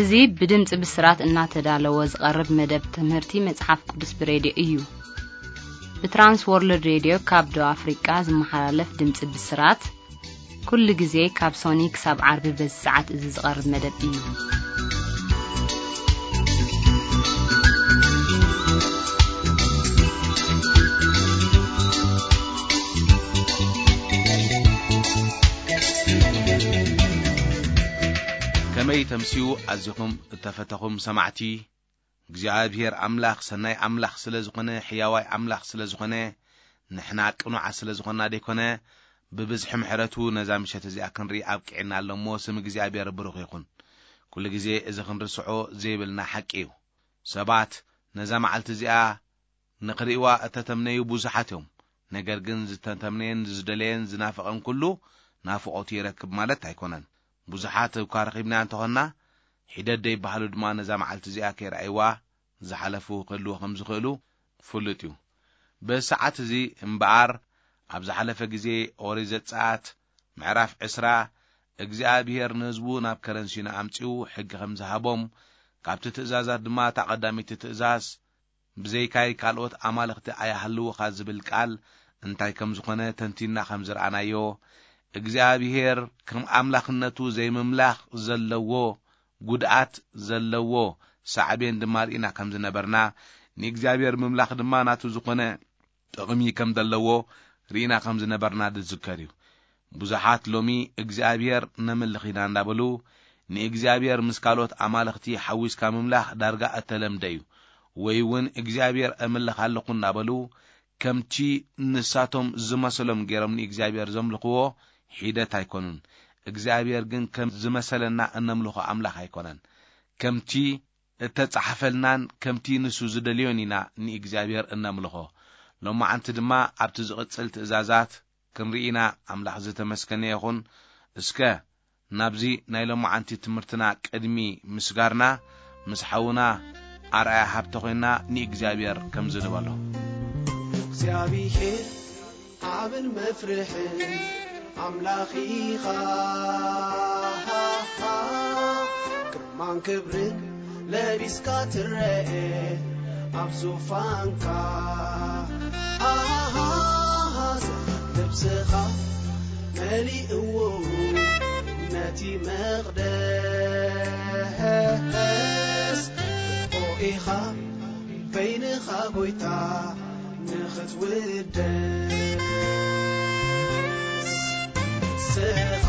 እዚ ብድምፂ ብስራት እናተዳለወ ዝቐርብ መደብ ትምህርቲ መፅሓፍ ቅዱስ ብሬድዮ እዩ። ብትራንስ ወርልድ ሬድዮ ካብ ደቡብ ኣፍሪቃ ዝመሓላለፍ ድምፂ ብስራት፣ ኩሉ ግዜ ካብ ሶኒ ክሳብ ዓርቢ በዚ ሰዓት እዚ ዝቐርብ መደብ እዩ። ከመይ ተምስዩ ኣዚኹም እተፈተኹም ሰማዕቲ፣ እግዚኣብሔር ኣምላኽ ሰናይ ኣምላኽ ስለ ዝኾነ፣ ሕያዋይ ኣምላኽ ስለ ዝኾነ፣ ንሕና ቅኑዓት ስለ ዝኾንና ደይኮነ፣ ብብዝሒ ምሕረቱ ነዛ ምሸት እዚኣ ክንርኢ ኣብቂዕና ኣሎ እሞ፣ ስም እግዚኣብሔር ብሩኽ ይኹን። ኩሉ ግዜ እዚ ክንርስዖ ዘይብልና ሓቂ እዩ። ሰባት ነዛ መዓልቲ እዚኣ ንኽርእይዋ እተተምነዩ ብዙሓት እዮም። ነገር ግን ዝተተምነየን ዝደለየን ዝናፈቐን ኩሉ ናፍቖቱ ይረክብ ማለት ኣይኮነን። ብዙሓት እኳ ረኺብና እንተኾንና፣ ሒደት ደይበሃሉ ድማ ነዛ መዓልቲ እዚኣ ከይረኣይዋ ዝሓለፉ ክህልዉ ከም ዝኽእሉ ፍሉጥ እዩ። በዚ ሰዓት እዚ እምበኣር፣ ኣብ ዝሓለፈ ግዜ ኦሪት ዘጸኣት ምዕራፍ ዕስራ፣ እግዚኣብሄር ንህዝቡ ናብ ከረን ሲና ኣምጺኡ ሕጊ ከም ዝሃቦም፣ ካብቲ ትእዛዛት ድማ እታ ቀዳመይቲ ትእዛዝ፣ "ብዘይካይ ካልኦት ኣማልኽቲ ኣይሃልዉኻ" ዝብል ቃል እንታይ ከም ዝኾነ ተንቲንና ከም ዝረኣናዮ፣ እግዚኣብሄር ከም ኣምላኽነቱ ዘይምምላኽ ዘለዎ ጉድኣት ዘለዎ ሳዕቤን ድማ ርኢና ከም ዝነበርና፣ ንእግዚኣብሔር ምምላኽ ድማ ናቱ ዝኾነ ጥቕሚ ከም ዘለዎ ርኢና ከም ዝነበርና ዝዝከር እዩ። ብዙሓት ሎሚ እግዚኣብሔር ነምልኽ ኢና እንዳበሉ፣ ንእግዚኣብሔር ምስ ካልኦት ኣማልኽቲ ሓዊስካ ምምላኽ ዳርጋ እተለምደ እዩ። ወይ እውን እግዚኣብሔር እምልኽ ኣለኹ እንዳበሉ፣ ከምቲ ንሳቶም ዝመሰሎም ገይሮም ንእግዚኣብሔር ዘምልኽዎ ሒደት ኣይኮኑን። እግዚኣብሔር ግን ከም ዝመሰለና እነምልኾ ኣምላኽ ኣይኮነን። ከምቲ እተጻሕፈልናን ከምቲ ንሱ ዝደልዮን ኢና ንእግዚኣብሔር እነምልኾ። ሎማዓንቲ ድማ ኣብቲ ዝቕጽል ትእዛዛት ክንርኢ ኢና። ኣምላኽ ዝተመስገነ ይኹን። እስከ ናብዚ ናይ ሎማዓንቲ ትምህርትና ቅድሚ ምስጋርና፣ ምስ ሓውና ኣርኣያ ሃብተ ኮይንና ንእግዚኣብሔር ከምዚ ንበሎ። እግዚኣብሔር ዓብን መፍርሕን ኣምላኽ ኢኻ። ግርማን ክብርን ለቢስካ ትረኤ ኣብ ዙፋንካ። ልብስኻ መሊእዎ ነቲ መቕደስ። ርቆ ኢኻ በይንኻ ጎይታ ንኽትውደስ። ንስኻ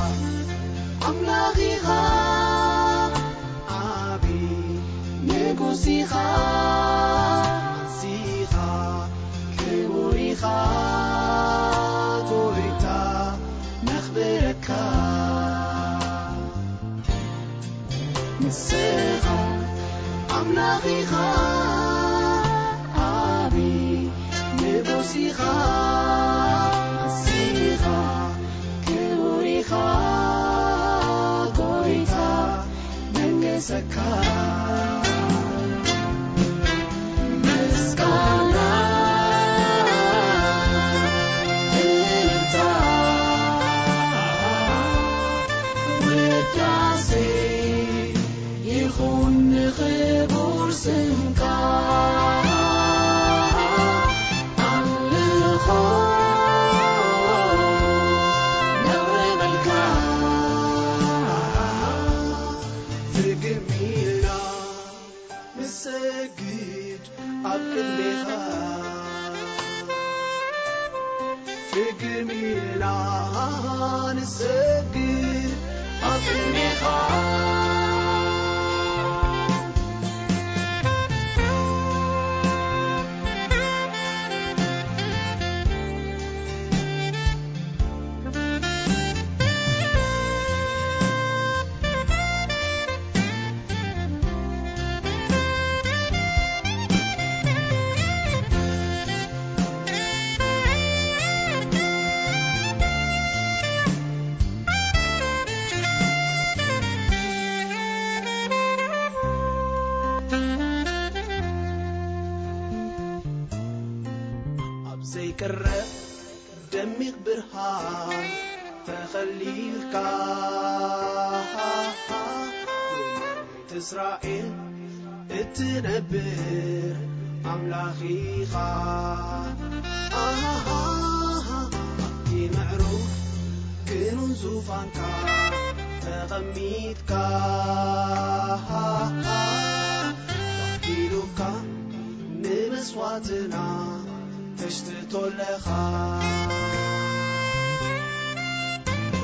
ኣምላኽ ኢኻ፣ ዓቢ ንጉስ ኢኻ። ንስኻ ክቡር ኢኻ፣ ጎይታ ነኽብረካ። ንስኻ ኣምላኽ ኢኻ፣ ዓቢ ንጉስ ኢኻ። ንስኻ ክቡር ኢኻ፣ ጎይታ መንገሰካ። ምስጋና እልልታ ውዳሴ ይኹን ንኽቡር ስምካ። ኣምልኾ ነቕርበልካ። ፍግም ኢልና ንሰግድ ኣብ ቅድሜኻ። ፍግም ኢልና ንሰግድ ኣብ ቅድሜኻ። ኣብ ዘይቅረብ ደሚቕ ብርሃን ተኸሊልካ፣ እስራኤል እትነብር ኣምላኽ ኢኻ። ኣሃሃሃ፣ ኣብቲ ምዕሩግ ክኑን ዙፋንካ ተቐሚጥካ፣ ወኪሉካ ንመስዋዕትና ተሽትቶ ኣለኻ።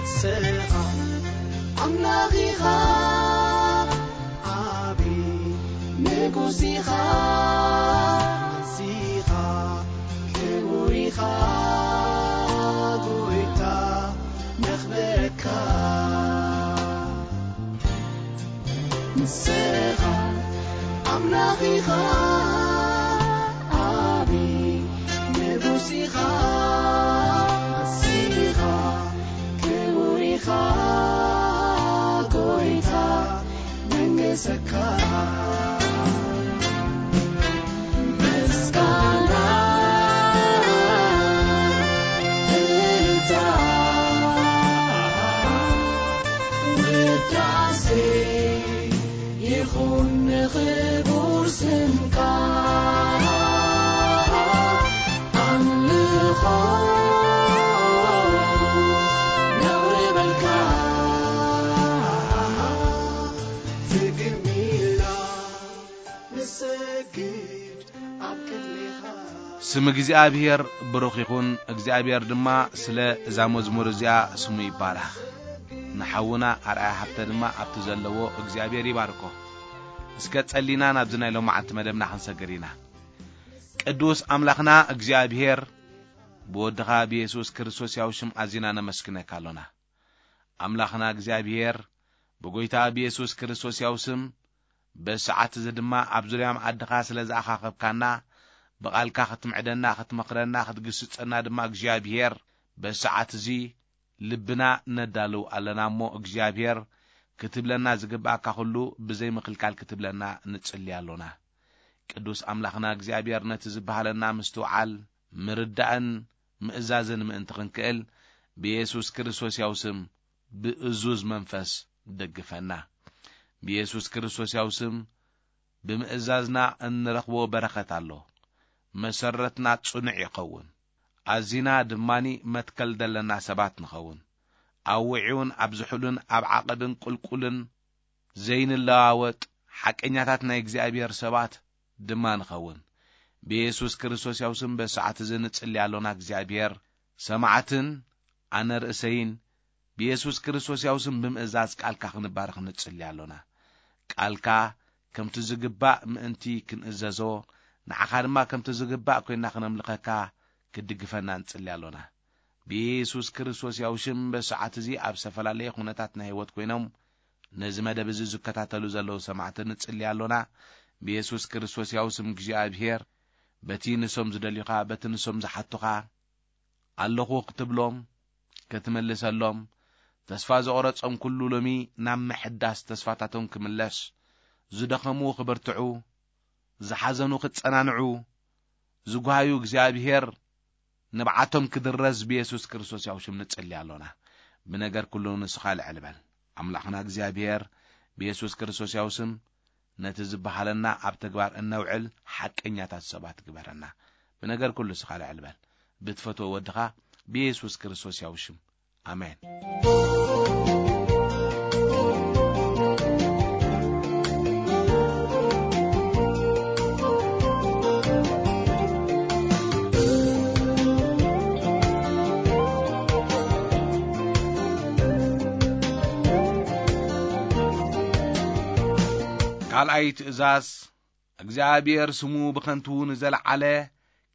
ንስኻ ኣምላኽ ኢኻ፣ ዓቢ ንጉስ ኢኻ፣ ንስኻ ክቡር ኢኻ፣ ጎይታ ነኽብረካ። ንስኻ ኣምላኽ ኢኻ፣ ዓቢ ንጉስ ኢኻ፣ ንስኻ ክቡር ኢኻ፣ ጎይታ መንገሰካ። ምስጋና፣ እልልታ፣ ውዳሴ ይኹን ንኽቡር ስምካ። ኣምልኾ ነቕርበልካ፣ ትግርም ኢልና ንሰግድ ኣብ ቅድሜኻ። ስም እግዚኣብሔር ብሩኽ ይኹን። እግዚኣብሔር ድማ ስለ እዛ መዝሙር እዚኣ ስሙ ይባረኽ። ንሓውና ኣርኣያ ሃብተ ድማ ኣብቲ ዘለዎ እግዚኣብሔር ይባርኮ። እስከ ጸሊና ናብዚ ናይ ሎማዓንቲ መደብና ክንሰግር ኢና። ቅዱስ ኣምላኽና እግዚኣብሔር፣ ብወድኻ ብየሱስ ክርስቶስ ያው ሽም ኣዚና ነመስግነካ ኣሎና። ኣምላኽና እግዚኣብሔር፣ ብጎይታ ብየሱስ ክርስቶስ ያው ስም፣ በዚ ሰዓት እዚ ድማ ኣብ ዙርያ መኣድኻ ስለ ዝኣኻኸብካና፣ ብቓልካ ክትምዕደና፣ ክትመኽረና፣ ክትግስጸና ድማ እግዚኣብሔር፣ በዚ ሰዓት እዚ ልብና ነዳልው ኣለና እሞ፣ እግዚኣብሔር ክትብለና ዝግብኣካ ኩሉ ብዘይ ምኽልካል ክትብለና ንጽሊ ኣሎና። ቅዱስ ኣምላኽና እግዚኣብሔር፣ ነቲ ዝበሃለና ምስትውዓል፣ ምርዳእን ምእዛዝን ምእንቲ ክንክእል፣ ብየሱስ ክርስቶስ ያው ስም፣ ብእዙዝ መንፈስ ደግፈና። ብየሱስ ክርስቶስ ያው ስም፣ ብምእዛዝና እንረኽቦ በረኸት ኣሎ። መሰረትና ጽኑዕ ይኸውን። ኣዚና ድማኒ መትከል ደለና ሰባት ንኸውን። ኣብ ውዒውን ኣብ ዝሑልን ኣብ ዓቐብን ቁልቁልን ዘይንለዋወጥ ሓቀኛታት ናይ እግዚኣብሔር ሰባት ድማ ንኸውን። ብየሱስ ክርስቶስ ያው ስም በዚ ሰዓት እዚ ንጽሊ ኣሎና። እግዚኣብሔር ሰማዕትን ኣነ ርእሰይን ብየሱስ ክርስቶስ ያው ስም ብምእዛዝ ቃልካ ክንባረኽ ንጽሊ ኣሎና። ቃልካ ከምቲ ዝግባእ ምእንቲ ክንእዘዞ፣ ንዓኻ ድማ ከምቲ ዝግባእ ኮይና ክነምልኸካ ክድግፈና ንጽሊ ኣሎና። ብየሱስ ክርስቶስ ያው ሽም በዚ ሰዓት እዚ ኣብ ዝተፈላለየ ኩነታት ናይ ህይወት ኮይኖም ነዚ መደብ እዚ ዝከታተሉ ዘለዉ ሰማዕቲ ንጽሊ ኣሎና። ብየሱስ ክርስቶስ ያው ስም እግዚኣብሔር በቲ ንሶም ዝደልዩኻ፣ በቲ ንሶም ዝሓቱኻ ኣለኹ ክትብሎም፣ ክትምልሰሎም፣ ተስፋ ዘቑረጾም ኩሉ ሎሚ ናብ ምሕዳስ ተስፋታቶም ክምለስ፣ ዝደኸሙ ክብርትዑ፣ ዝሓዘኑ ክጸናንዑ፣ ዝጓሃዩ እግዚኣብሔር ንብዓቶም ክድረዝ ብየሱስ ክርስቶስ ያው ሽም ንጽሊ ኣሎና። ብነገር ኩሉ ንስኻ ልዕል በል። ኣምላኽና እግዚኣብሔር ብየሱስ ክርስቶስ ያው ስም ነቲ ዝበሃለና ኣብ ተግባር እነውዕል ሓቀኛታት ሰባት ግበረና። ብነገር ኩሉ ንስኻ ልዕል በል። ብትፈትዎ ወድኻ ብየሱስ ክርስቶስ ያው ሽም። ኣሜን። ካልኣይ ትእዛዝ፣ እግዚኣብሔር ስሙ ብኸንቱ ንዘለዓለ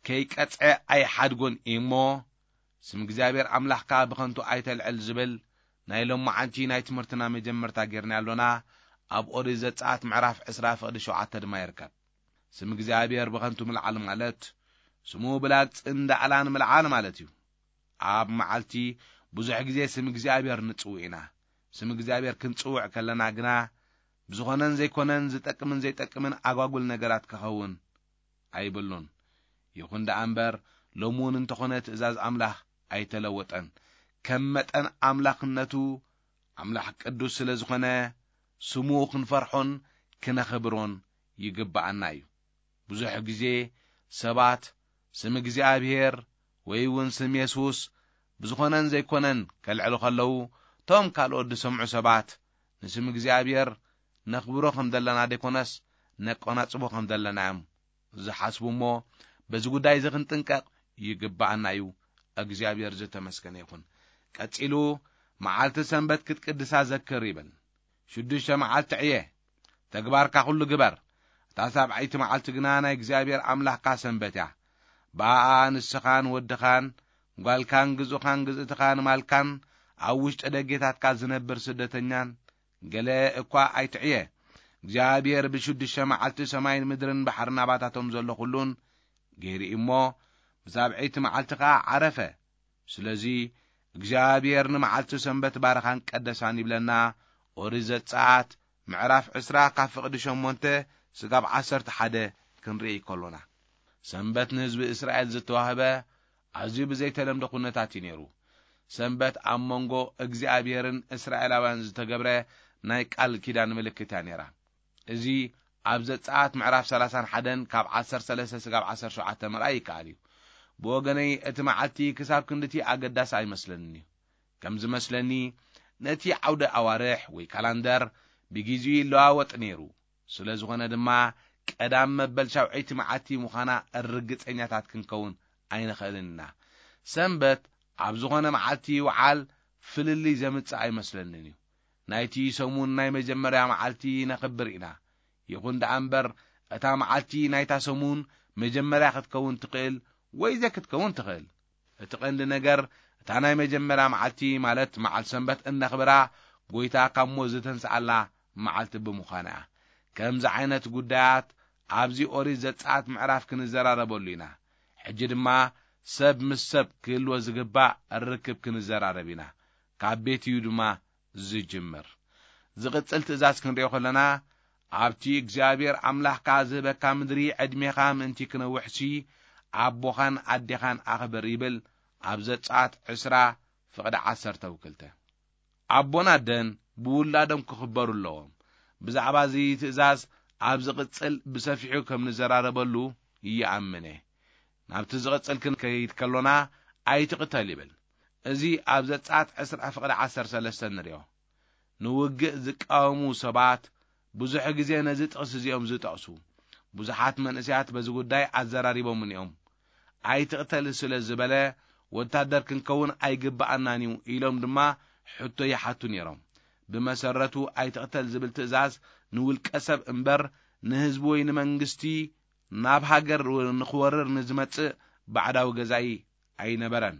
ከይቀጽዐ ኣይሓድጎን እዩ እሞ፣ ስም እግዚኣብሔር ኣምላኽካ ብኸንቱ ኣይተልዕል ዝብል ናይ ሎማዓንቲ ናይ ትምህርትና መጀመርታ ጌርና ኣሎና። ኣብ ኦሪት ዘጸኣት ምዕራፍ ዕስራ ፍቕዲ ሸውዓተ ድማ ይርከብ። ስም እግዚኣብሔር ብኸንቱ ምልዓል ማለት፣ ስሙ ብላግጽን ዳዕላን ምልዓል ማለት እዩ። ኣብ መዓልቲ ብዙሕ ግዜ ስም እግዚኣብሔር ንጽውዕ ኢና። ስም እግዚኣብሔር ክንጽውዕ ከለና ግና፣ ብዝኾነን ዘይኮነን፣ ዝጠቅምን ዘይጠቅምን ኣጓጉል ነገራት ክኸውን ኣይብሉን። ይኹን ደኣ እምበር፣ ሎሚ እውን እንተኾነ ትእዛዝ ኣምላኽ ኣይተለወጠን። ከም መጠን ኣምላኽነቱ፣ ኣምላኽ ቅዱስ ስለ ዝኾነ፣ ስሙ ክንፈርሖን ክነኽብሮን ይግብኣና እዩ። ብዙሕ ግዜ ሰባት ስም እግዚኣብሔር ወይ እውን ስም የሱስ ብዝኾነን ዘይኮነን ከልዕሉ ከለዉ፣ እቶም ካልኦት ዝሰምዑ ሰባት ንስም እግዚኣብሔር ነኽብሮ ከም ዘለና ደይኮነስ ነቆናጽቦ ከም ዘለና እዮም ዝሓስቡ እሞ፣ በዚ ጉዳይ እዚ ክንጥንቀቕ ይግብኣና እዩ። እግዚኣብሔር ዝተመስገነ ይኹን። ቀጺሉ፣ መዓልቲ ሰንበት ክትቅድሳ ዘክር ይብል። ሽዱሽተ መዓልቲ ዕየ፣ ተግባርካ ኩሉ ግበር። እታ ሳብዓይቲ መዓልቲ ግና ናይ እግዚኣብሔር ኣምላኽካ ሰንበት እያ። ብኣኣ ንስኻን ወድኻን፣ ጓልካን ግዙኻን ግዝእትኻን ማልካን፣ ኣብ ውሽጢ ደጌታትካ ዝነብር ስደተኛን፣ ገለ እኳ ኣይትዕየ። እግዚኣብሔር ብሽዱሽተ መዓልቲ ሰማይን ምድርን ባሕርን ኣባታቶም ዘሎ ኩሉን ገይሩ እሞ፣ ብሳብዐይቲ መዓልቲ ኸዓ ዓረፈ። ስለዚ እግዚኣብሔር ንመዓልቲ ሰንበት ባረኻን ቀደሳን ይብለና። ኦሪት ዘጸኣት ምዕራፍ ዕስራ ካብ ፍቕዲ ሸሞንተ ስጋብ ዓሰርተ ሓደ ክንርኢ ከሎና፣ ሰንበት ንህዝቢ እስራኤል ዝተዋህበ ኣዝዩ ብዘይተለምዶ ኩነታት እዩ ነይሩ። ሰንበት ኣብ መንጎ እግዚኣብሔርን እስራኤላውያን ዝተገብረ ናይ ቃል ኪዳን ምልክት እያ ነይራ። እዚ ኣብ ዘጸኣት ምዕራፍ ሰላሳን ሓደን ካብ ዓሰርተ ሰለስተ ስጋብ ዓሰርተ ሸውዓተ ምርኣይ ይከኣል እዩ። ብወገነይ እቲ መዓልቲ ክሳብ ክንድቲ ኣገዳሲ ኣይመስለንን እዩ። ከም ዝመስለኒ ነቲ ዓውደ ኣዋርሕ ወይ ካላንደር ብግዜኡ ይለዋወጥ ነይሩ። ስለ ዝኾነ ድማ ቀዳም መበል ሻውዐይቲ መዓልቲ ምዃና ርግጸኛታት ክንከውን ኣይንኽእልን ኢና። ሰንበት ኣብ ዝኾነ መዓልቲ ይውዓል ፍልልይ ዘምጽእ ኣይመስለንን እዩ። ናይቲ ሰሙን ናይ መጀመርያ መዓልቲ ነኽብር ኢና። ይኹን ደኣ እምበር እታ መዓልቲ ናይታ ሰሙን መጀመርያ ክትከውን ትኽእል ወይ ዘይክትከውን ትኽእል። እቲ ቀንዲ ነገር እታ ናይ መጀመርያ መዓልቲ ማለት መዓል ሰንበት እነኽብራ ጎይታ ካብ ሞት ዝተንስኣላ መዓልቲ ብምዃና እያ። ከምዚ ዓይነት ጉዳያት ኣብዚ ኦሪት ዘጸኣት ምዕራፍ ክንዘራረበሉ ኢና። ሕጂ ድማ ሰብ ምስ ሰብ ክህልዎ ዝግባእ ርክብ ክንዘራረብ ኢና። ካብ ቤት እዩ ድማ ዝጅምር። ዝቕጽል ትእዛዝ ክንሪኦ ከለና፣ ኣብቲ እግዚኣብሔር ኣምላኽካ ዝህበካ ምድሪ ዕድሜኻ ምእንቲ ክነውሕሲ ኣቦኻን ኣዴኻን ኣኽብር ይብል። ኣብ ዘጸኣት ዕስራ ፍቕዲ ዓሰርተ ወክልተ። ኣቦን ኣደን ብውላዶም ክኽበሩ ኣለዎም። ብዛዕባ እዚ ትእዛዝ ኣብ ዝቕጽል ብሰፊሑ ከም ንዘራረበሉ ይኣምነ። ናብቲ ዝቕጽል ክንከይድ ከሎና ኣይትቕተል ይብል። እዚ ኣብ ዘጸኣት ዕስራ ፍቕዲ ዓሰርተ ሰለስተ ንሪኦ። ንውግእ ዝቃወሙ ሰባት ብዙሕ ግዜ ነዚ ጥቕሲ እዚኦም ዝጠቕሱ። ብዙሓት መንእሰያት በዚ ጉዳይ ኣዘራሪቦምን እዮም። ኣይትቕተል ስለ ዝበለ ወታደር ክንከውን ኣይግብኣናን እዩ ኢሎም ድማ ሕቶ ይሓቱ ነይሮም። ብመሰረቱ ኣይትቕተል ዝብል ትእዛዝ ንውልቀ ሰብ እምበር ንህዝቢ ወይ ንመንግስቲ ናብ ሃገር ንኽወርር ንዝመጽእ ባዕዳዊ ገዛኢ ኣይነበረን።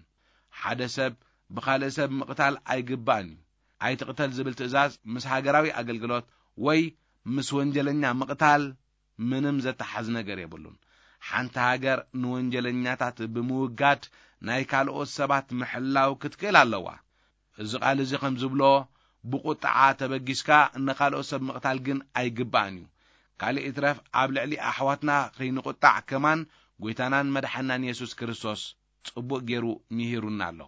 ሓደ ሰብ ብኻልእ ሰብ ምቕታል ኣይግባእን እዩ። ኣይትቕተል ዝብል ትእዛዝ ምስ ሃገራዊ ኣገልግሎት ወይ ምስ ወንጀለኛ ምቕታል ምንም ዘተሓዝ ነገር የብሉን። ሓንቲ ሃገር ንወንጀለኛታት ብምውጋድ ናይ ካልኦት ሰባት ምሕላው ክትክእል ኣለዋ። እዚ ቃል እዚ ከም ዝብሎ፣ ብቁጥዓ ተበጊስካ ንኻልኦት ሰብ ምቕታል ግን ኣይግባእን እዩ። ካልእ ይትረፍ ኣብ ልዕሊ ኣሕዋትና ከይንቁጣዕ ከማን ጎይታናን መድሓናን የሱስ ክርስቶስ ጽቡቕ ገይሩ ምሂሩና ኣሎ።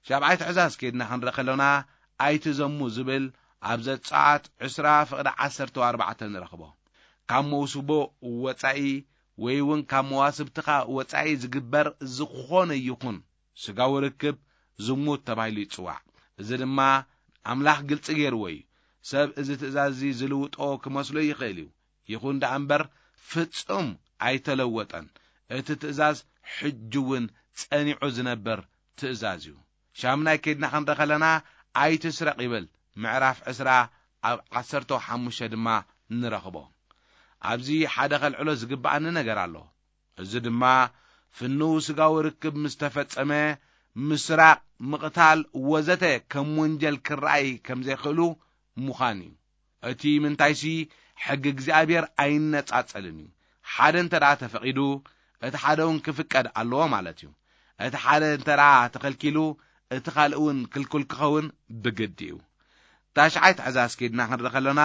ሻብዓይ ትእዛዝ ከይድና ክንርኢ ከሎና፣ ኣይትዘሙ ዝብል ኣብ ዘጸኣት ዕስራ ፍቕዲ ዓሰርተ ኣርባዕተ ንረኽቦ። ካብ መውስቦ ወጻኢ ወይ እውን ካብ መዋስብትኻ ወጻኢ ዝግበር ዝኾነ ይኹን ስጋዊ ርክብ ዝሙት ተባሂሉ ይጽዋዕ። እዚ ድማ ኣምላኽ ግልጺ ገይርዎ እዩ። ሰብ እዚ ትእዛዝ እዚ ዝልውጦ ክመስሎ ይኽእል እዩ። ይኹን ደኣ እምበር ፍጹም ኣይተለወጠን። እቲ ትእዛዝ ሕጂ እውን ጸኒዑ ዝነበር ትእዛዝ እዩ። ሻምናይ ከይድና ክንርኢ ከለና ኣይትስረቕ ይብል። ምዕራፍ ዕስራ ኣብ ዓሰርተ ሓሙሽተ ድማ ንረኽቦ። ኣብዚ ሓደ ከልዕሎ ዝግብኣኒ ነገር ኣሎ። እዚ ድማ ፍንው ስጋዊ ርክብ ምስ ተፈጸመ ምስራቕ፣ ምቕታል ወዘተ ከም ወንጀል ክረኣይ ከም ዘይክእሉ ምዃን እዩ። እቲ ምንታይሲ ሕጊ እግዚኣብሔር ኣይነጻጸልን እዩ። ሓደ እንተ ደኣ ተፈቒዱ እቲ ሓደ እውን ክፍቀድ ኣለዎ ማለት እዩ። እቲ ሓደ እንተ ደኣ ተኸልኪሉ እቲ ካልእ እውን ክልኩል ክኸውን ብግዲ እዩ። ታሽዓይ ትእዛዝ ከይድና ክንርኢ ከለና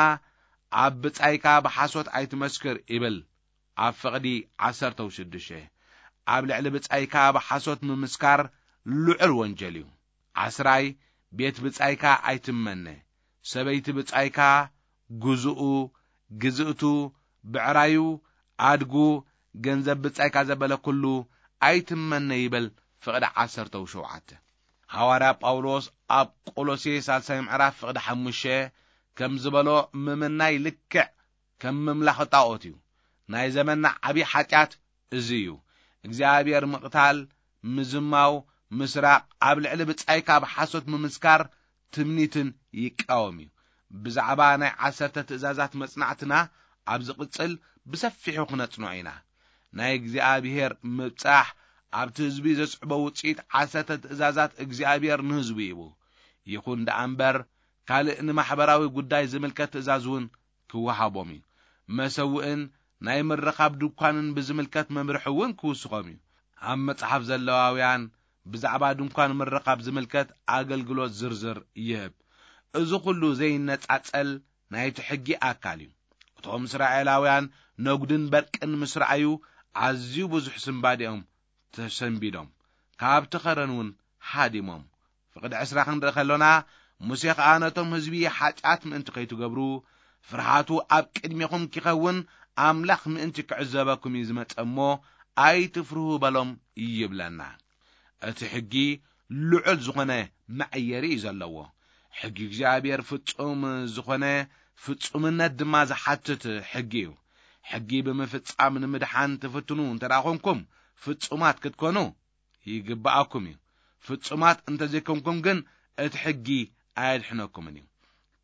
ኣብ ብጻይካ ብሓሶት ኣይትመስክር ይብል። ኣብ ፍቕዲ ዓሰርተ ሽዱሽተ ኣብ ልዕሊ ብጻይካ ብሓሶት ምምስካር ልዑል ወንጀል እዩ። ዓስራይ ቤት ብጻይካ ኣይትመነ። ሰበይቲ ብጻይካ፣ ግዝኡ፣ ግዝእቱ፣ ብዕራዩ፣ ኣድጉ፣ ገንዘብ ብጻይካ ዘበለ ኩሉ ኣይትመነ ይብል ፍቕዲ ዓሰርተ ሸውዓተ። ሃዋርያ ጳውሎስ ኣብ ቆሎሴ ሳልሳይ ምዕራፍ ፍቕዲ ሓሙሽተ ከም ዝበሎ፣ ምምናይ ልክዕ ከም ምምላኽ ጣዖት እዩ። ናይ ዘመንና ዓብዪ ሓጢኣት እዚ እዩ። እግዚኣብሔር ምቕታል፣ ምዝማው፣ ምስራቕ፣ ኣብ ልዕሊ ብጻይካ ብሓሶት ምምስካር ትምኒትን ይቃወም እዩ። ብዛዕባ ናይ ዓሰርተ ትእዛዛት መጽናዕትና ኣብ ዝቕጽል ብሰፊሑ ክነጽንዖ ኢና። ናይ እግዚኣብሔር ምብጻሕ ኣብቲ ህዝቢ ዘስዕቦ ውጽኢት ዓሰርተ ትእዛዛት እግዚኣብሔር ንህዝቡ ይቡ። ይኹን ደኣ እምበር፣ ካልእ ንማሕበራዊ ጉዳይ ዝምልከት ትእዛዝ እውን ክወሃቦም እዩ። መሰውእን ናይ ምርኻብ ድኳንን ብዝምልከት መምርሒ እውን ክውስኾም እዩ። ኣብ መጽሓፍ ዘለዋውያን ብዛዕባ ድንኳን ምርኻብ ዝምልከት ኣገልግሎት ዝርዝር ይህብ። እዚ ኩሉ ዘይነጻጸል ናይቲ ሕጊ ኣካል እዩ። እቶም እስራኤላውያን ነጉድን በርቅን ምስ ረኣዩ፣ ኣዝዩ ብዙሕ ስንባዲኦም ተሰንቢዶም፣ ካብቲ ኸረን እውን ሃዲሞም። ፍቕዲ ዕስራ ክንርኢ ከሎና፣ ሙሴ ኸኣ ነቶም ህዝቢ፣ ሓጢኣት ምእንቲ ከይትገብሩ፣ ፍርሃቱ ኣብ ቅድሜኹም ኪኸውን፣ ኣምላኽ ምእንቲ ክዕዘበኩም እዩ ዝመጸ እሞ፣ ኣይትፍርሁ በሎም ይብለና። እቲ ሕጊ ልዑል ዝኾነ መዐየሪ እዩ ዘለዎ። ሕጊ እግዚኣብሔር ፍጹም ዝኾነ፣ ፍጹምነት ድማ ዝሓትት ሕጊ እዩ። ሕጊ ብምፍጻም ንምድሓን ትፍትኑ እንተ ደኣ ኾንኩም፣ ፍጹማት ክትኮኑ ይግብኣኩም እዩ። ፍጹማት እንተ ዘይኮንኩም ግን፣ እቲ ሕጊ ኣየድሕነኩምን እዩ።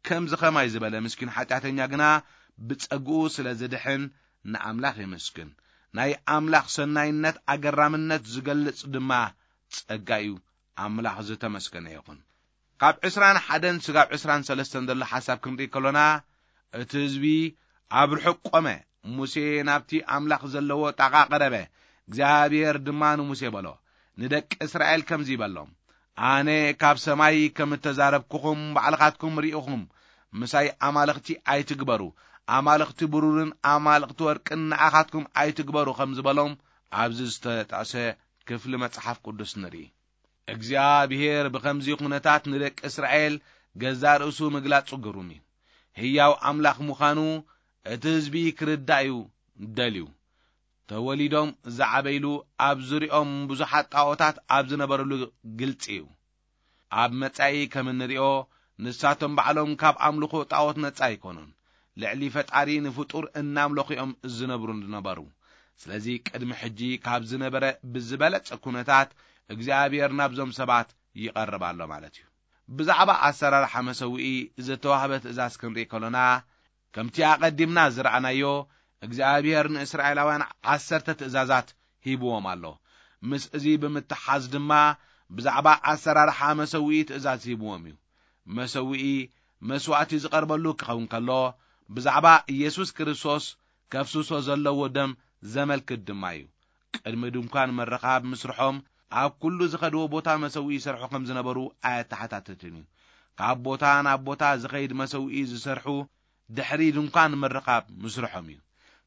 ከምዚ ኸማይ ዝበለ ምስኪን ሓጢኣተኛ ግና ብጸግኡ ስለ ዝድሕን ንኣምላኽ የመስግን። ናይ ኣምላኽ ሰናይነት ኣገራምነት ዝገልጽ ድማ ጸጋ እዩ። ኣምላኽ ዝተመስገነ ይኹን። ካብ ዕስራን ሓደን ስጋብ ዕስራን ሰለስተን ዘሎ ሓሳብ ክንርኢ ከሎና፣ እቲ ህዝቢ ኣብ ርሑቕ ቆመ። ሙሴ ናብቲ ኣምላኽ ዘለዎ ጣቓ ቀረበ። እግዚኣብሔር ድማ ንሙሴ በሎ፣ ንደቂ እስራኤል ከምዚ ይበሎም፣ ኣነ ካብ ሰማይ ከም እተዛረብኩኹም ባዕልኻትኩም ርኢኹም። ምሳይ ኣማልኽቲ ኣይትግበሩ፣ ኣማልኽቲ ብሩርን ኣማልኽቲ ወርቅን ንኣኻትኩም ኣይትግበሩ ከም ዝበሎም ኣብዚ ዝተጠቕሰ ክፍሊ መጽሓፍ ቅዱስ ንርኢ። እግዚኣብሔር ብኸምዚ ኩነታት ንደቂ እስራኤል ገዛእ ርእሱ ምግላጹ ግሩም እዩ። ህያው ኣምላኽ ምዃኑ እቲ ህዝቢ ክርዳእ እዩ ደልዩ። ተወሊዶም ዝዓበይሉ፣ ኣብ ዙርያኦም ብዙሓት ጣዖታት ኣብ ዝነበረሉ ግልጺ እዩ። ኣብ መጻኢ ከም እንሪኦ፣ ንሳቶም ባዕሎም ካብ ኣምልኾ ጣዖት ነጻ ኣይኮኑን። ልዕሊ ፈጣሪ ንፍጡር እናምለኹ እዮም ዝነብሩ ዝነበሩ። ስለዚ ቅድሚ ሕጂ ካብ ዝነበረ ብዝበለጸ ኩነታት እግዚኣብሔር ናብዞም ሰባት ይቐርብ ኣሎ ማለት እዩ። ብዛዕባ ኣሰራርሓ መሰውኢ ዝተዋህበ ትእዛዝ ክንርኢ ከሎና፣ ከምቲ ኣቐዲምና ዝረኣናዮ፣ እግዚኣብሔር ንእስራኤላውያን ዓሰርተ ትእዛዛት ሂብዎም ኣሎ። ምስ እዚ ብምትሓዝ ድማ ብዛዕባ ኣሰራርሓ መሰውኢ ትእዛዝ ሂብዎም እዩ። መሰውኢ መስዋእቲ ዝቐርበሉ ክኸውን ከሎ፣ ብዛዕባ ኢየሱስ ክርስቶስ ከፍስሶ ዘለዎ ደም ዘመልክት ድማ እዩ። ቅድሚ ድንኳን ምርኻብ ምስርሖም፣ ኣብ ኩሉ ዝኸድዎ ቦታ መሰውኢ ይሰርሑ ከም ዝነበሩ ኣየተሓታትትን እዩ። ካብ ቦታ ናብ ቦታ ዝኸይድ መሰውኢ ዝሰርሑ ድሕሪ ድንኳን ምርኻብ ምስርሖም እዩ።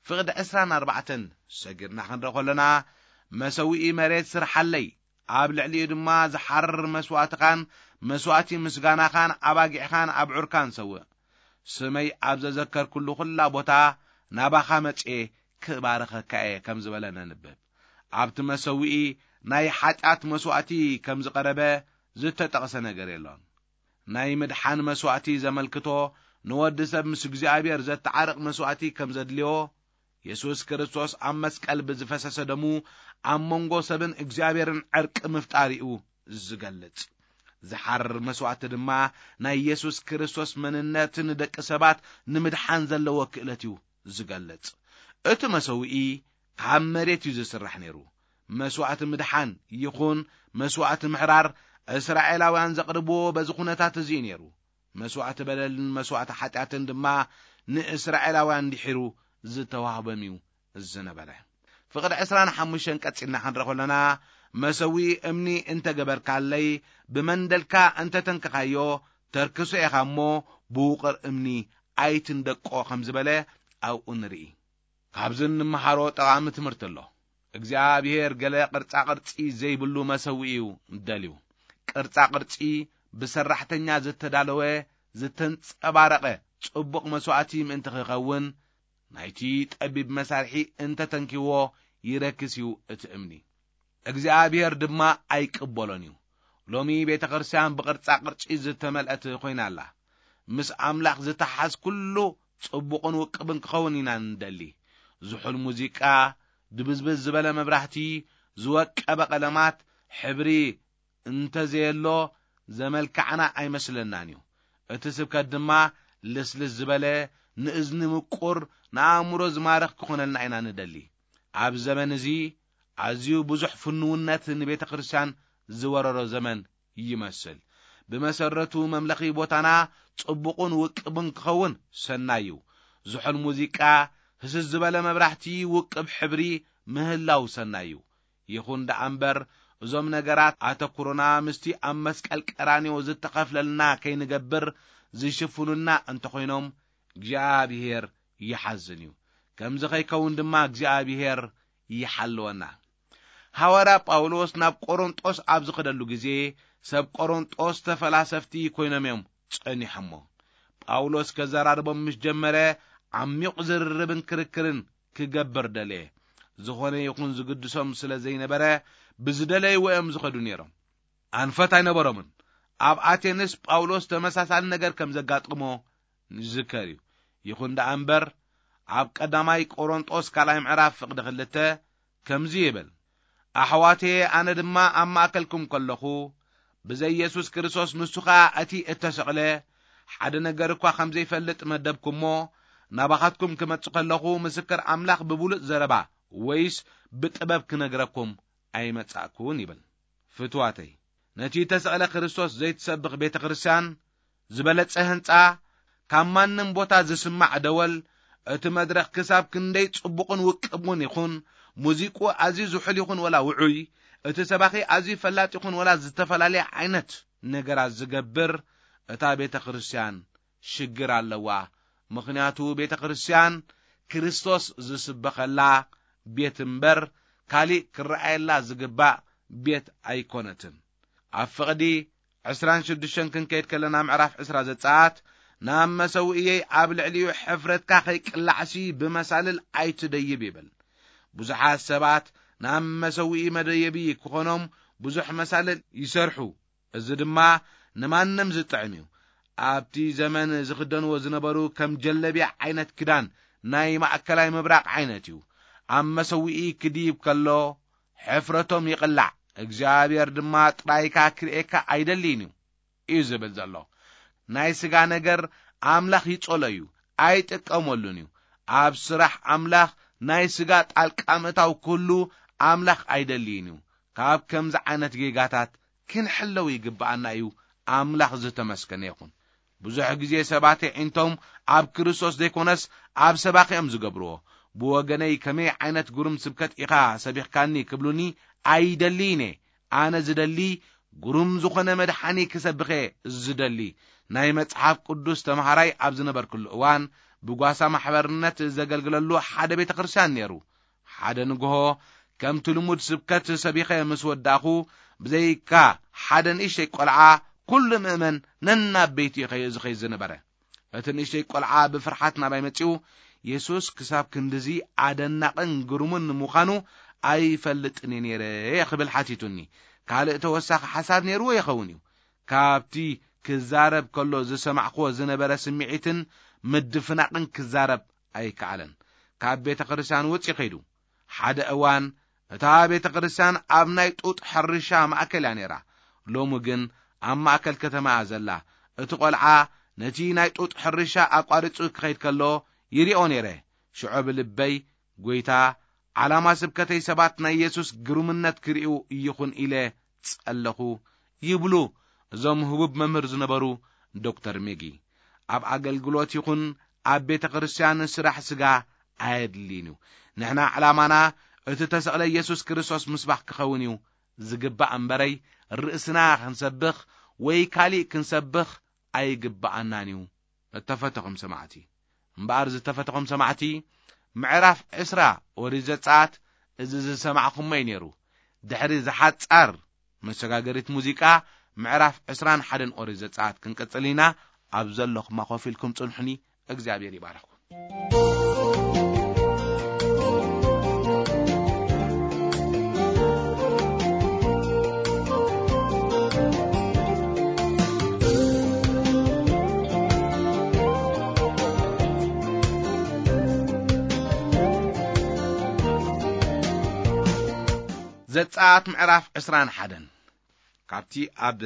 ፍቕዲ ዕስራን ኣርባዕተን ሰጊርና ክንርኢ ከለና፣ መሰውኢ መሬት ስርሓለይ፣ ኣብ ልዕሊኡ ድማ ዝሓርር መስዋእትኻን መስዋእቲ ምስጋናኻን ኣባጊዕኻን ኣብዑርካን ሰውእ። ስመይ ኣብ ዘዘከርኩሉ ኩላ ቦታ ናባኻ መጽኤ ክባርኸካ እየ ከም ዝበለ ነንብብ። ኣብቲ መሰውኢ ናይ ሓጢኣት መስዋእቲ ከም ዝቐረበ ዝተጠቕሰ ነገር የሎን። ናይ ምድሓን መስዋእቲ ዘመልክቶ፣ ንወዲ ሰብ ምስ እግዚኣብሔር ዘተዓርቕ መስዋእቲ ከም ዘድልዮ፣ የሱስ ክርስቶስ ኣብ መስቀል ብዝፈሰሰ ደሙ ኣብ መንጎ ሰብን እግዚኣብሔርን ዕርቂ ምፍጣር እዩ ዝገልጽ። ዝሓርር መስዋእቲ ድማ ናይ የሱስ ክርስቶስ መንነት ንደቂ ሰባት ንምድሓን ዘለዎ ክእለት እዩ ዝገልጽ። እቲ መሰውኢ ካብ መሬት እዩ ዝስራሕ ነይሩ። መስዋእቲ ምድሓን ይኹን መስዋእቲ ምሕራር፣ እስራኤላውያን ዘቕርብዎ በዚ ኩነታት እዚ እዩ ነይሩ። መስዋእቲ በደልን መስዋእቲ ሓጢኣትን ድማ ንእስራኤላውያን ድሒሩ ዝተዋህበም እዩ ዝነበረ። ፍቕዲ ዕስራን ሓሙሽተን ቀጺልና ክንርኢ ከለና፣ መሰውኢ እምኒ እንተ ገበርካለይ፣ ብመንደልካ እንተ ተንክኻዮ፣ ተርክሶ ኢኻ እሞ፣ ብውቕር እምኒ ኣይትንደቆ ከም ዝበለ ኣብኡ ንርኢ። ካብዚ እንመሃሮ ጠቓሚ ትምህርቲ ኣሎ። እግዚኣብሔር ገለ ቅርጻ ቅርጺ ዘይብሉ መሰውኢ እዩ ደልዩ። ቅርጻ ቅርጺ ብሰራሕተኛ ዝተዳለወ፣ ዝተንጸባረቐ ጽቡቕ መስዋእቲ ምእንቲ ክኸውን፣ ናይቲ ጠቢብ መሳርሒ እንተተንኪዎ ይረክስ እዩ እቲ እምኒ። እግዚኣብሔር ድማ ኣይቅበሎን እዩ። ሎሚ ቤተ ክርስቲያን ብቕርጻ ቅርጺ ዝተመልአት ኮይና ኣላ። ምስ ኣምላኽ ዝተሓዝ ኩሉ ጽቡቕን ውቅብን ክኸውን ኢና ንደሊ። ዝሑል ሙዚቃ፣ ድብዝብዝ ዝበለ መብራህቲ፣ ዝወቀበ ቀለማት፣ ሕብሪ እንተዘየሎ ዘመልካዕና ኣይመስለናን እዩ። እቲ ስብከት ድማ ልስልስ ዝበለ፣ ንእዝኒ ምቁር፣ ንኣእምሮ ዝማርኽ ክኾነልና ኢና ንደሊ። ኣብ ዘመን እዚ ኣዝዩ ብዙሕ ፍኑውነት ንቤተ ክርስቲያን ዝወረሮ ዘመን ይመስል። ብመሰረቱ መምለኺ ቦታና ጽቡቕን ውቅብን ክኸውን ሰናይ እዩ። ዝሑል ሙዚቃ፣ ህስስ ዝበለ መብራህቲ፣ ውቅብ ሕብሪ ምህላው ሰናይ እዩ። ይኹን ደኣ እምበር፣ እዞም ነገራት ኣተኩሮና ምስቲ ኣብ መስቀል ቀራንዮ ዝተኸፍለልና ከይንገብር ዝሽፍኑልና እንተኾይኖም፣ እግዚኣብሔር ይሓዝን እዩ። ከምዚ ከይከውን ድማ እግዚኣብሔር ይሓልወና። ሃዋርያ ጳውሎስ ናብ ቆሮንጦስ ኣብ ዝኸደሉ ግዜ፣ ሰብ ቆሮንጦስ ተፈላሰፍቲ ኮይኖም እዮም ጸኒሖሞ። ጳውሎስ ከዘራርቦም ምስ ጀመረ፣ ዓሚቕ ዝርርብን ክርክርን ክገብር ደለየ። ዝኾነ ይኹን ዝግድሶም ስለ ዘይነበረ፣ ብዝደለይዎ እዮም ዝኸዱ ነይሮም። ኣንፈት ኣይነበሮምን። ኣብ ኣቴንስ ጳውሎስ ተመሳሳሊ ነገር ከም ዘጋጠሞ ንዝከር እዩ። ይኹን ደኣ እምበር፣ ኣብ ቀዳማይ ቆሮንጦስ ካልኣይ ምዕራፍ ፍቕዲ ክልተ ከምዚ ይብል፣ ኣሕዋተየ፣ ኣነ ድማ ኣብ ማእከልኩም ከለኹ፣ ብዘይ የሱስ ክርስቶስ፣ ንሱ ኸኣ እቲ እተሰቕለ፣ ሓደ ነገር እኳ ከም ዘይፈልጥ መደብኩሞ፣ ናባኻትኩም ክመጽእ ከለኹ፣ ምስክር ኣምላኽ ብብሉጽ ዘረባ ወይስ ብጥበብ ክነግረኩም ኣይመጻእኩን ይብል። ፍትዋተይ፣ ነቲ እተሰቕለ ክርስቶስ ዘይትሰብኽ ቤተ ክርስቲያን፣ ዝበለጸ ህንጻ፣ ካብ ማንም ቦታ ዝስማዕ ደወል፣ እቲ መድረኽ ክሳብ ክንደይ ጽቡቕን ውቅብን ይኹን፣ ሙዚቁ ኣዝዩ ዝሑል ይኹን ወላ ውዑይ፣ እቲ ሰባኺ ኣዝዩ ፈላጥ ይኹን ወላ ዝተፈላለየ ዓይነት ነገራት ዝገብር፣ እታ ቤተ ክርስቲያን ሽግር ኣለዋ። ምኽንያቱ ቤተ ክርስቲያን ክርስቶስ ዝስበኸላ ቤት እምበር፣ ካሊእ ክረኣየላ ዝግባእ ቤት ኣይኮነትን። ኣብ ፍቕዲ ዕስራን ሽዱሽተን ክንከይድ ከለና፣ ምዕራፍ ዕስራ ዘጸኣት፣ ናብ መሰውእየይ ኣብ ልዕሊኡ ሕፍረትካ ከይቅላዕሲ ብመሳልል ኣይትደይብ ይብል። ብዙሓት ሰባት ናብ መሰውኢ መደየቢ ክኾኖም ብዙሕ መሳልል ይሰርሑ። እዚ ድማ ንማንም ዝጥዕም እዩ። ኣብቲ ዘመን ዝኽደንዎ ዝነበሩ ከም ጀለቢያ ዓይነት ክዳን ናይ ማእከላይ ምብራቕ ዓይነት እዩ። ኣብ መሰውኢ ክድይብ ከሎ ሕፍረቶም ይቕላዕ፣ እግዚኣብሔር ድማ ጥራይካ ክርእየካ ኣይደልይን እዩ፣ እዩ ዝብል ዘሎ። ናይ ስጋ ነገር ኣምላኽ ይጸሎ እዩ፣ ኣይጥቀመሉን እዩ። ኣብ ስራሕ ኣምላኽ ናይ ስጋ ጣልቃ ምእታው ክህሉ ኣምላኽ ኣይደልይን እዩ። ካብ ከምዚ ዓይነት ጌጋታት ክንሕለው ይግብኣና እዩ። ኣምላኽ ዝተመስገነ ይኹን። ብዙሕ ግዜ ሰባት ኣዒንቶም ኣብ ክርስቶስ ዘይኮነስ ኣብ ሰባኺ እዮም ዝገብርዎ። ብወገነይ ከመይ ዓይነት ግሩም ስብከት ኢኻ ሰቢኽካኒ ክብሉኒ ኣይደልይን እየ። ኣነ ዝደሊ ግሩም ዝኾነ መድሓኒ ክሰብኽ እየ ዝደሊ። ናይ መጽሓፍ ቅዱስ ተምሃራይ ኣብ ዝነበርኩሉ እዋን ብጓሳ ማሕበርነት ዘገልግለሉ ሓደ ቤተ ክርስቲያን ነይሩ። ሓደ ንግሆ ከምቲ ልሙድ ስብከት ሰቢኸ ምስ ወዳእኹ፣ ብዘይካ ሓደ ንእሽተይ ቆልዓ፣ ኩሉ ምእመን ነናብ ቤቱ እዩ ዝኸይድ ዝነበረ። እቲ ንእሽተይ ቆልዓ ብፍርሓት ናባይ መጺኡ፣ የሱስ ክሳብ ክንድዚ ኣደናቕን ግሩምን ምዃኑ ኣይፈልጥን እየ ነይረ ክብል ሓቲቱኒ። ካልእ ተወሳኺ ሓሳብ ነይርዎ ይኸውን እዩ። ካብቲ ክዛረብ ከሎ ዝሰማዕክዎ ዝነበረ ስምዒትን ምድፍናቕን ክዛረብ ኣይከኣለን። ካብ ቤተ ክርስቲያን ውጽእ ከይዱ። ሓደ እዋን እታ ቤተ ክርስቲያን ኣብ ናይ ጡጥ ሕርሻ ማእከል እያ ነይራ። ሎሚ ግን ኣብ ማእከል ከተማ እያ ዘላ። እቲ ቆልዓ ነቲ ናይ ጡጥ ሕርሻ ኣቋሪጹ ክኸይድ ከሎ ይሪኦ ነይረ። ሽዑ ብልበይ፣ "ጐይታ፣ ዓላማ ስብከተይ ሰባት ናይ የሱስ ግሩምነት ክርእዩ ይኹን" ኢለ ጸለኹ ይብሉ እዞም ህቡብ መምህር ዝነበሩ ዶክተር ሜጊ። ኣብ ኣገልግሎት ይኹን ኣብ ቤተ ክርስቲያን ስራሕ ስጋ ኣየድልይን እዩ። ንሕና ዕላማና እቲ ተሰቕለ የሱስ ክርስቶስ ምስባኽ ክኸውን እዩ ዝግባእ እምበረይ፣ ርእስና ክንሰብኽ ወይ ካሊእ ክንሰብኽ ኣይግብኣናን እዩ። እተፈተኹም ሰማዕቲ፣ እምበኣር ዝተፈተኹም ሰማዕቲ፣ ምዕራፍ ዕስራ ኦሪት ዘጸኣት እዚ ዝሰማዕኹሞ እዩ ነይሩ። ድሕሪ ዝሓጻር መሰጋገሪት ሙዚቃ፣ ምዕራፍ ዕስራን ሓደን ኦሪት ዘጸኣት ክንቅጽል ኢና። ኣብ ዘለኹማ ኮፍ ኢልኩም ጽንሑኒ። እግዚኣብሔር ይባርኽኩም። ዘጸኣት ምዕራፍ ዕስራን ሓደን። ካብቲ ኣብ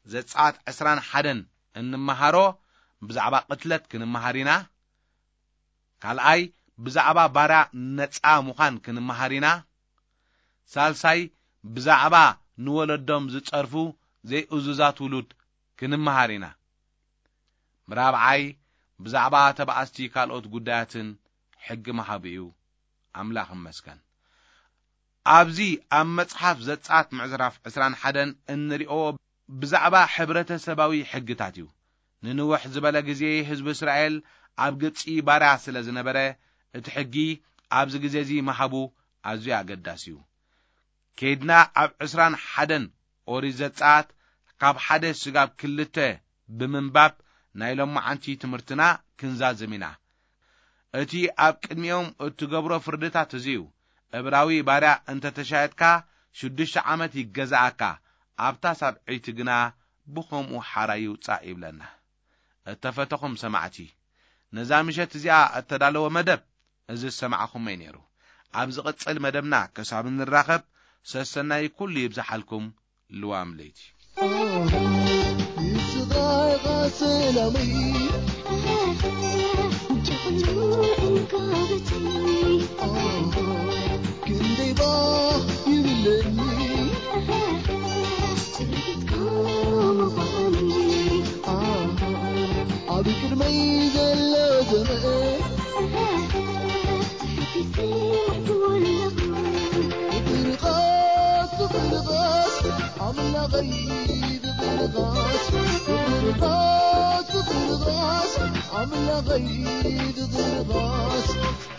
ዘጸኣት ዕስራን ሓደን እንመሃሮ ብዛዕባ ቅትለት ክንመሃር ኢና። ካልኣይ ብዛዕባ ባርያ ነጻ ምዃን ክንመሃር ኢና። ሳልሳይ ብዛዕባ ንወለዶም ዝጸርፉ ዘይእዙዛት ውሉድ ክንመሃር ኢና። ራብዓይ ብዛዕባ ተባኣስቲ ካልኦት ጉዳያትን ሕጊ ምሃቡ እዩ። ኣምላኽ ይመስገን። ኣብዚ ኣብ መጽሓፍ ዘጸኣት ምዕራፍ ዕስራን ሓደን እንሪኦ ብዛዕባ ሕብረተሰባዊ ሕግታት እዩ። ንንውሕ ዝበለ ግዜ ህዝቢ እስራኤል ኣብ ግብጺ ባርያ ስለ ዝነበረ፣ እቲ ሕጊ ኣብዚ ግዜ እዚ ምሃቡ ኣዝዩ ኣገዳሲ እዩ። ከይድና ኣብ ዕስራን ሓደን ኦሪት ዘጸኣት ካብ ሓደ ስጋብ ክልተ ብምንባብ ናይ ሎማዓንቲ ትምህርትና ክንዛዝም ኢና። እቲ ኣብ ቅድሚኦም እትገብሮ ፍርድታት እዚ እዩ። እብራዊ ባርያ እንተ ተሻየጥካ ሽዱሽተ ዓመት ይገዛኣካ፣ ኣብታ ሳብዐይቲ ግና ብኸምኡ ሓራ ይውጻእ ይብለና። እተፈተኹም ሰማዕቲ፣ ነዛ ምሸት እዚኣ እተዳለወ መደብ እዚ ዝሰማዕኹሞ እዩ ነይሩ። ኣብ ዝቕጽል መደብና ክሳብ እንራኸብ ሰሰናይ ኩሉ ይብዝሓልኩም። ልዋም ለይቲ። ንስኻ ኢኻ ሰላመይ፣ እንጂ ኩሉ እንካበተይ። ክንደይ ባህ ይብለኒ፣ ትርኢትካ ምዃነይ። ኣብ ቅድመይ ዘሎ ዘመን፣ ትሕፊት ዘይትወልቕ። ፍቕርኻስ፣ ፍቕርኻስ፣ ኣምላኸይ ፍቕርኻስ፣ ፍቕርኻስ፣ ፍቕርኻስ፣ ኣምላኸይ ፍቕርኻስ፣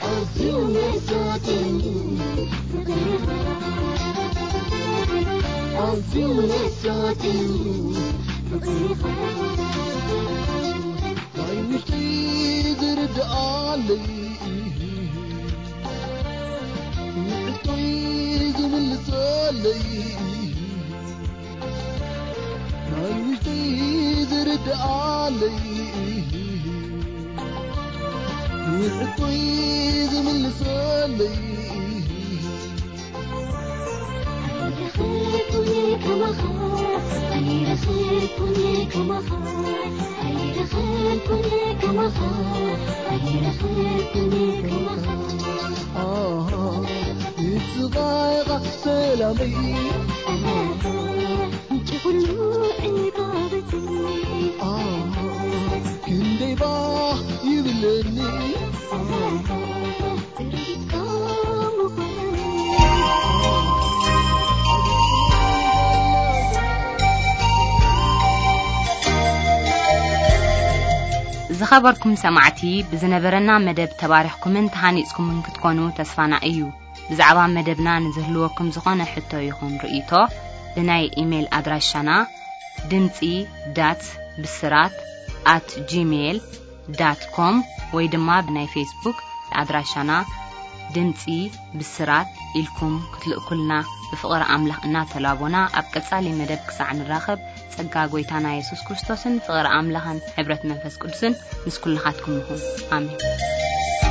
ኣዝዩ መሳጢ ፍቕርኻ፣ ኣዝዩ መሳጢ ፍቕርኻ፣ ናይ ውሽጠይ ዝርድኣለይ፣ ንሕቶይ ዝምልሰለይ፣ ናይ ውሽጠይ ዝርድኣለይ፣ ንሕቶይ ዝምልሰለይ። ኣይረኸብኩን ከማኻ፣ ኣይረኸብኩን ከማኻ፣ ኣይረኸብኩን ከማኻ፣ ኣይረኸብኩን ከማኻ። ኣሃ፣ ንስኻ ኢኻ ሰላመይ፣ ኣሃ፣ እቲ ኩሉ ዕንቃበተይ። ኣሃ፣ ክንደይ ባህ ይብለኒ። ኣሃ፣ ዝኸበርኩም ሰማዕቲ፣ ብዝነበረና መደብ ተባሪኽኩምን ተሃኒጽኩምን ክትኮኑ ተስፋና እዩ። ብዛዕባ መደብና ንዝህልወኩም ዝኾነ ሕቶ ይኹን ርእይቶ፣ ብናይ ኢሜይል ኣድራሻና ድምጺ ዳት ብስራት ኣት ጂሜይል ዳት ኮም ወይ ድማ ብናይ ፌስቡክ ኣድራሻና ድምጺ ብስራት ኢልኩም ክትልእኩልና ብፍቕሪ ኣምላኽ እናተላቦና፣ ኣብ ቀጻሊ መደብ ክሳዕ ንራኸብ፣ ጸጋ ጐይታና የሱስ ክርስቶስን ፍቕሪ ኣምላኽን ሕብረት መንፈስ ቅዱስን ምስ ኩልኻትኩም ይኹን። ኣሜን።